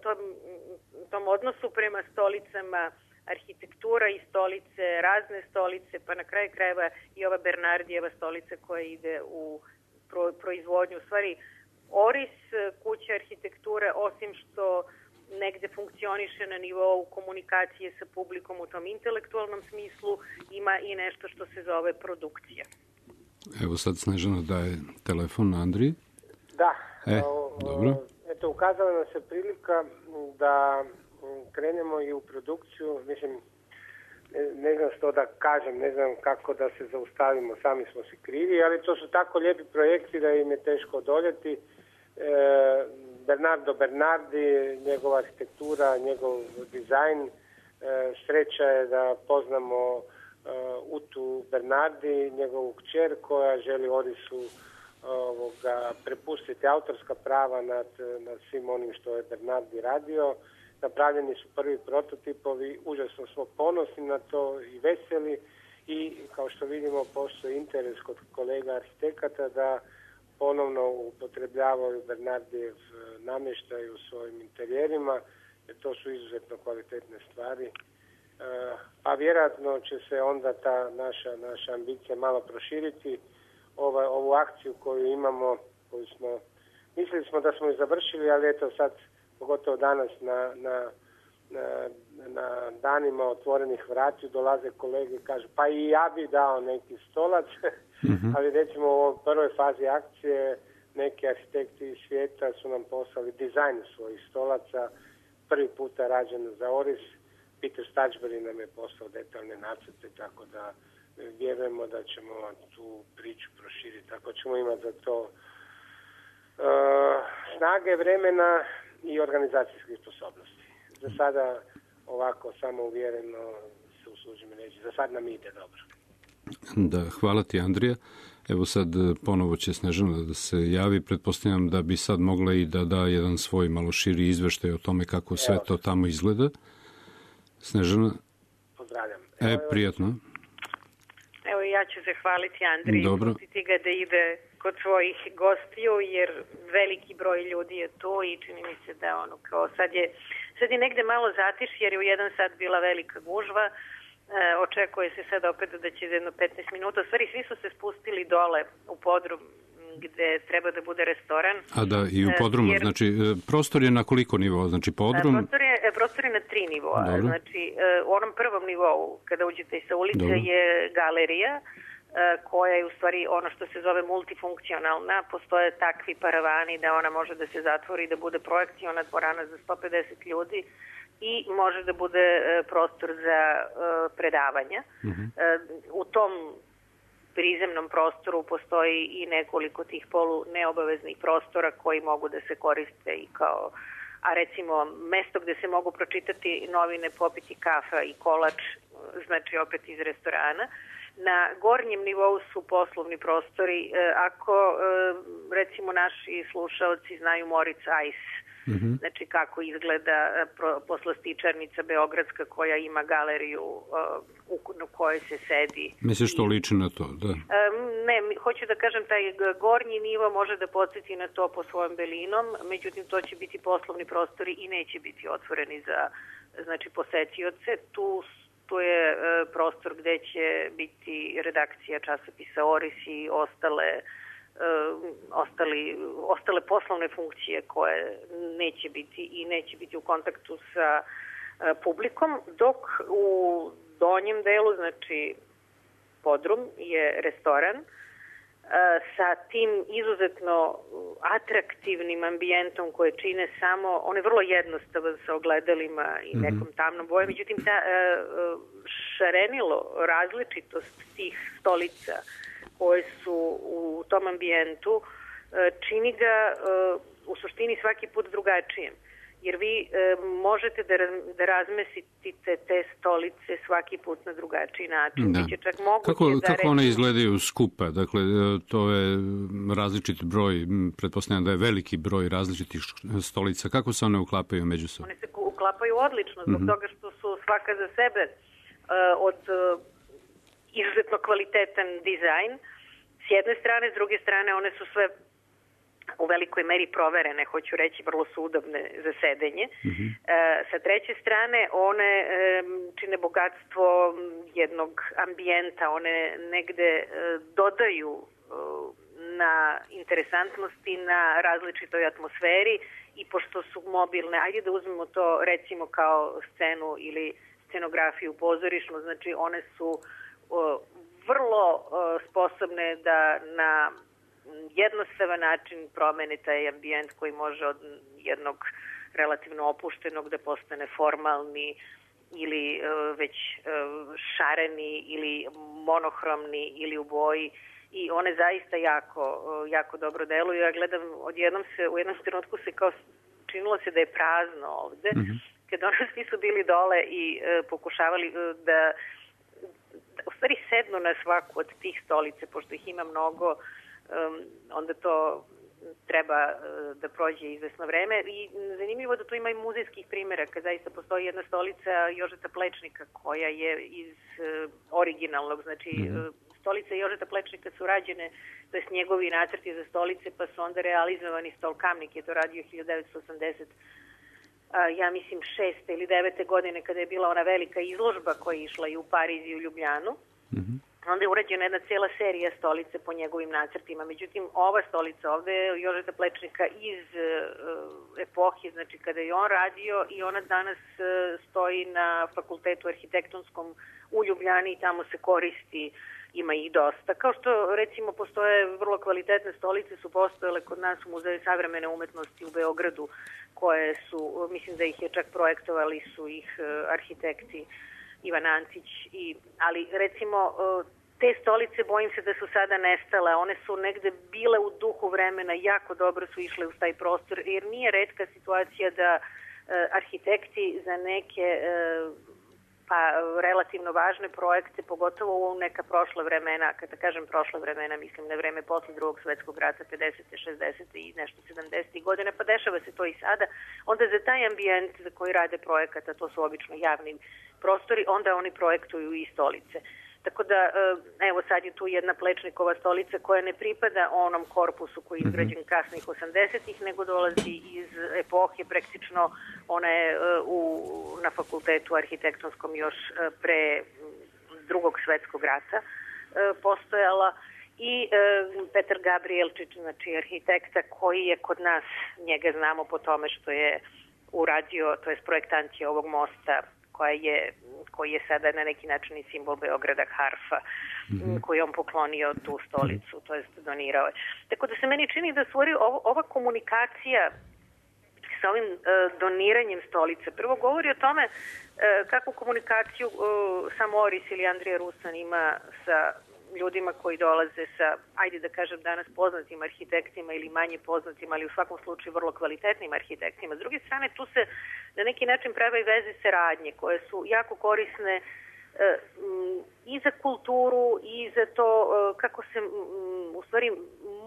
[SPEAKER 7] tom odnosu prema stolicama, arhitektura i stolice, razne stolice, pa na kraju krajeva i ova Bernardijeva stolica koja ide u proizvodnju. U stvari, Oris, kuća arhitekture, osim što negde funkcioniše na nivou komunikacije sa publikom u tom intelektualnom smislu, ima i nešto što se zove produkcija.
[SPEAKER 4] Evo sad Snežana daje telefon Andriji.
[SPEAKER 8] Da.
[SPEAKER 4] Dobro.
[SPEAKER 8] Eto, ukazala nam se prilika da krenemo i u produkciju, mislim, ne znam što da kažem, ne znam kako da se zaustavimo, sami smo si krivi, ali to su tako lijepi projekti da im je teško odoljeti. Bernardo Bernardi, njegova arhitektura, njegov dizajn, sreća je da poznamo Utu Bernardi, njegovu kćer koja želi Orisu prepustiti autorska prava nad svim onim što je Bernardi radio. Napravljeni su prvi prototipovi, užasno smo ponosni na to i veseli i kao što vidimo postoji interes kod kolega arhitekata da ponovno upotrebljavaju Bernardijev namještaj u svojim interjerima, jer to su izuzetno kvalitetne stvari. A vjerojatno će se onda ta naša ambicija malo proširiti. Ovu akciju koju imamo, mislili smo da smo ju završili, ali eto sad, pogotovo danas na danima otvorenih vrati dolaze kolege i kažu pa i ja bi dao neki stolac, ali recimo u ovoj prvoj fazi akcije neki arhitekti iz svijeta su nam poslali dizajn svojih stolaca, prvi puta rađen za Oris. Peter Stačbury nam je poslao detaljne nacrte, tako da vjerujemo da ćemo tu priču proširiti. Ako ćemo imati za to snage, vremena i organizacijskih sposobnosti. Za sada ovako samouvjereno se usuđujem reći. Za sad nam ide dobro.
[SPEAKER 4] Da, hvala ti Andrija. Evo sad ponovo će Snežana da se javi. Pretpostavljam da bi sad mogla i da da jedan svoj malo širi izveštaj o tome kako sve to tamo izgleda. Snežana?
[SPEAKER 8] Pozdravljam.
[SPEAKER 4] Prijatno.
[SPEAKER 7] Evo ja ću zahvaliti Andriji.
[SPEAKER 4] Dobro.
[SPEAKER 7] Pustiti ga da ide kod svojih gostiju, jer veliki broj ljudi je tu i čini mi se da ono kao sad je negde malo zatiš, jer je u 1 sat bila velika gužva. Očekuje se sad opet da će za jedno 15 minuta. U stvari svi su se spustili dole u podrum gde treba da bude restoran.
[SPEAKER 4] A da, i u podrumu, znači prostor je na koliko nivoa? Znači podrum?
[SPEAKER 7] Prostor je na 3 nivoa. Dobro. Znači u onom prvom nivou, kada uđete sa ulice, dobro, je galerija, koja je u stvari ono što se zove multifunkcionalna. Postoje takvi paravani da ona može da se zatvori i da bude projekciona dvorana za 150 ljudi i može da bude prostor za predavanja. U tom prizemnom prostoru postoji i nekoliko tih neobaveznih prostora koji mogu da se koriste i kao, a recimo mesto gde se mogu pročitati novine, popiti kafa i kolač, znači opet iz restorana. Na gornjem nivou su poslovni prostori. Ako recimo naši slušaoci znaju Moritz Ice, znači kako izgleda poslastičarnica beogradska koja ima galeriju u kojoj se sedi.
[SPEAKER 4] Misliš to liči na to, da?
[SPEAKER 7] Ne, hoću da kažem, taj gornji nivo može da podsjeti na to po svojom belinom, međutim to će biti poslovni prostori i neće biti otvoreni za posetioce. Tu je prostor gde će biti redakcija časopisa Oris i ostale poslovne funkcije koje neće biti u kontaktu sa publikom, dok u donjem delu, znači podrum, je restoran sa tim izuzetno atraktivnim ambijentom koje čine samo, on je vrlo jednostavan sa ogledalima i nekom tamnom bojom, međutim ta šarenilo, različitost tih stolica koje su u tom ambijentu čini ga u suštini svaki put drugačijem. Jer vi možete da razmestite te stolice svaki put na drugačiji način.
[SPEAKER 4] Da.
[SPEAKER 7] Čak moguće
[SPEAKER 4] kako one izgledaju skupa? Dakle, to je različit broj, pretpostavljam da je veliki broj različitih stolica. Kako se one uklapaju međusobno?
[SPEAKER 7] One se uklapaju odlično, zbog toga što su svaka za sebe od izuzetno kvalitetan dizajn. S jedne strane, s druge strane, one su sve u velikoj meri proverene, hoću reći, vrlo su udobne za sedenje. Sa treće strane, one čine bogatstvo jednog ambijenta, one negde dodaju na interesantnosti, na različitoj atmosferi i pošto su mobilne, ajde da uzmemo to recimo kao scenu ili scenografiju pozorišnu, znači one su vrlo sposobne da na jednostavan način promene taj ambijent koji može od jednog relativno opuštenog da postane formalni ili već šareni ili monohromni ili u boji. I one zaista jako dobro deluju. Ja gledam, u jednom trenutku se kao činilo se da je prazno ovde, kad ono svi su bili dole i pokušavali da u stvari sednu na svaku od tih stolice, pošto ih ima mnogo, onda to treba da prođe izvesno vreme. I zanimljivo da tu ima i muzejskih primjera, kad zaista postoji jedna stolica Jožeta Plečnika koja je iz originalnog, znači stolice Jožeta Plečnika su rađene, to jest njegovi nacrti za stolice, pa su onda realizovani. Stolkamnik je to radio 1980, ja mislim 6. ili 9. godine, kada je bila ona velika izložba koja je išla i u Pariz i u Ljubljanu. Onda je urađena jedna cijela serija stolice po njegovim nacrtima. Međutim, ova stolica ovde je Jožeta Plečnika iz epohe, znači kada je on radio, i ona danas stoji na Fakultetu arhitektonskom u Ljubljani i tamo se koristi, ima ih dosta. Kao što recimo postoje vrlo kvalitetne stolice, su postojale kod nas u Muzeju savremene umetnosti u Beogradu, koje su, mislim da ih je čak projektovali su ih arhitekti Ivan Ancić, ali recimo te stolice bojim se da su sada nestale, one su negde bile u duhu vremena, jako dobro su išle u taj prostor, jer nije retka situacija da arhitekti za neke relativno važne projekte, pogotovo u neka prošla vremena, kada kažem prošla vremena, mislim na vreme posle Drugog svetskog rata, 50. 60. i nešto 70. godine, pa dešava se to i sada, onda za taj ambijent za koji rade projekata, to su obično javni prostori, onda oni projektuju i stolice. Tako da, evo sad je tu jedna Plečnikova stolica koja ne pripada onom korpusu koji je izgrađen kasnih 80-ih, nego dolazi iz epohe, praktično ona je na fakultetu arhitektonskom još pre Drugog svetskog rata postojala. I Petar Gabrielčić, znači arhitekta koji je kod nas, njega znamo po tome što je uradio, to je projektant je ovog mosta koji je sada na neki način i simbol Beograda, harfa, koji je on poklonio tu stolicu, to jest donirao je. Tako da se meni čini da ova komunikacija sa ovim doniranjem stolice prvo govori o tome kakvu komunikaciju sam Oris ili Andrija Rusan ima sa ljudima koji dolaze sa, ajde da kažem danas poznatim arhitektima ili manje poznatim, ali u svakom slučaju vrlo kvalitetnim arhitektima. S druge strane, tu se na neki način prave veze saradnje koje su jako korisne i za kulturu i za to kako se u stvari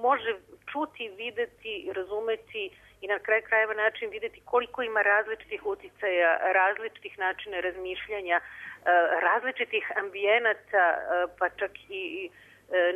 [SPEAKER 7] može čuti, videti, razumeti i na kraju krajeva način videti koliko ima različitih uticaja, različitih načina razmišljanja, različitih ambijenata, pa čak i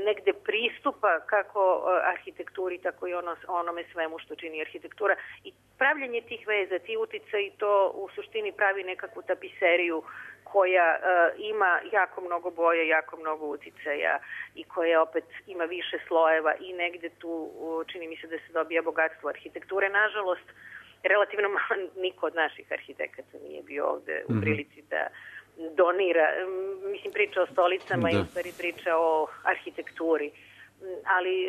[SPEAKER 7] negde pristupa kako arhitekturi, tako i onome svemu što čini arhitektura. I pravljanje tih veza, ti uticaji, to u suštini pravi nekakvu tapiseriju koja ima jako mnogo boje, jako mnogo uticaja i koja opet ima više slojeva i negde tu čini mi se da se dobija bogatstvo arhitekture. Nažalost, relativno malo niko od naših arhitekata nije bio ovde u prilici da donira. Mislim, priča o stolicama i u stvari priča o arhitектuri. Ali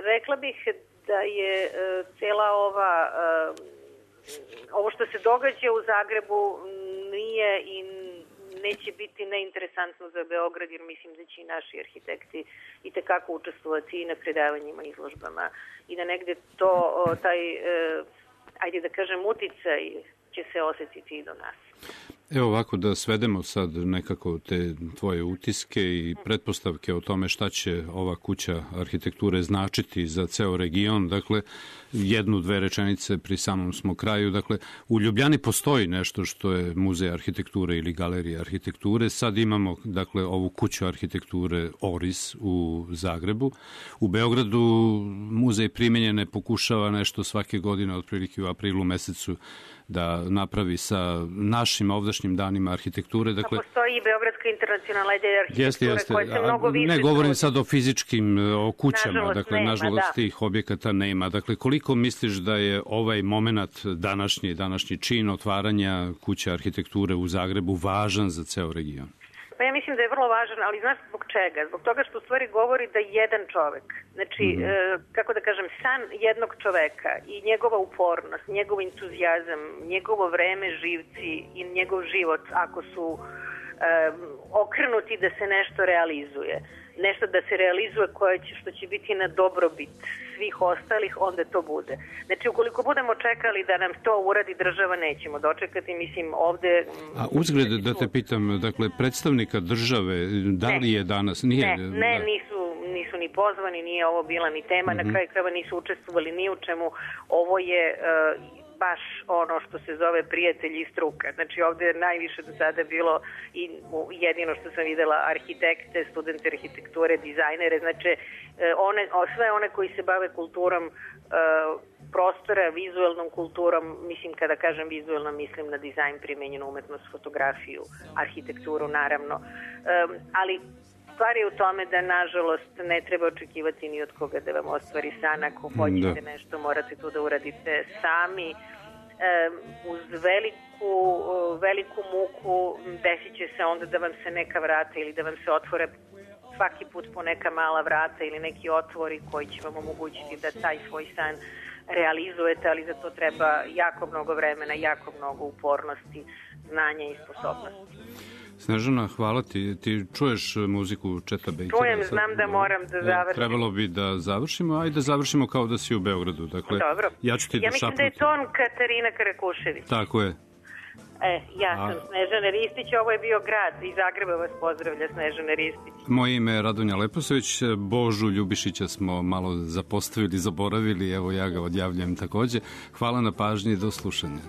[SPEAKER 7] rekla bih da je cela ovo što se događa u Zagrebu nije i neće biti neinteresantno za Beograd, jer mislim da će i naši arhitekti i tekako učestvovati i na predavanjima, izložbama i da negde to, taj, ajde da kažem, uticaj će se osetiti i do nas.
[SPEAKER 4] Evo ovako da svedemo sad nekako te tvoje utiske i pretpostavke o tome šta će ova kuća arhitekture značiti za ceo region. Dakle, jednu, dve rečenice pri samom smo kraju. Dakle, u Ljubljani postoji nešto što je muzej arhitekture ili galerija arhitekture. Sad imamo, dakle, ovu kuću arhitekture Oris u Zagrebu. U Beogradu muzej primenjene pokušava nešto svake godine, otprilike u aprilu mesecu, da napravi sa našim ovdašnjim danima arhitekture. Dakle,
[SPEAKER 7] postoji i Beogradska internacionalna ideja arhitekture koja se mnogo više...
[SPEAKER 4] Ne govorim sad o fizičkim, o kućama, nažalost tih objekata nema. Dakle, koliko misliš da je ovaj moment današnji čin otvaranja kuće arhitekture u Zagrebu važan za ceo region?
[SPEAKER 7] Pa ja mislim da je vrlo važan, ali znaš zbog čega? Zbog toga što u stvari govori da jedan čovek, znači, kako da kažem, san jednog čoveka i njegova upornost, njegov entuzijazam, njegovo vreme, živci i njegov život, ako su okrenuti da se nešto realizuje, nešto da se realizuje što će biti na dobrobit svih ostalih, onda to bude. Znači, ukoliko budemo čekali da nam to uradi država, nećemo dočekati, mislim, ovde...
[SPEAKER 4] A uzgled da te pitam, dakle, predstavnika države, da li je danas...
[SPEAKER 7] Ne, nisu ni pozvani, nije ovo bila ni tema, na kraju krajeva nisu učestvovali ni u čemu, ovo je... baš ono što se zove prijatelji i struka. Znači ovde je najviše do sada bilo i jedino što sam videla arhitekte, studente arhitekture, dizajnere, znači sve one koji se bave kulturom prostora, vizuelnom kulturom, mislim kada kažem vizuelno mislim na dizajn, primenjenu umetnost, fotografiju, arhitekturu naravno, ali stvar je u tome da, nažalost, ne treba očekivati ni od koga da vam ostvari san. Ako hoćete nešto, morate to da uradite sami. Uz veliku muku desit će se onda da vam se neka vrata ili da vam se otvore svaki put po neka mala vrata ili neki otvori koji će vam omogućiti da taj svoj san realizujete, ali za to treba jako mnogo vremena, jako mnogo upornosti, znanja i sposobnosti.
[SPEAKER 4] Snežana, hvala ti. Ti čuješ muziku Četa Bakera?
[SPEAKER 7] Čujem, znam da moram da završim.
[SPEAKER 4] Trebalo bi da završimo, ajde da završimo kao da si u Beogradu. Dakle,
[SPEAKER 7] dobro.
[SPEAKER 4] Ja
[SPEAKER 7] mislim da je ton Katarina Karakušević.
[SPEAKER 4] Tako je.
[SPEAKER 7] Ja sam Snežana Ristić, ovo je bio grad, iz Zagreba vas pozdravlja Snežana Ristić.
[SPEAKER 4] Moje ime je Radonja Leposović, Božu Ljubišića smo malo zapostavili, zaboravili, evo ja ga odjavljam takođe. Hvala na pažnji i do slušanja.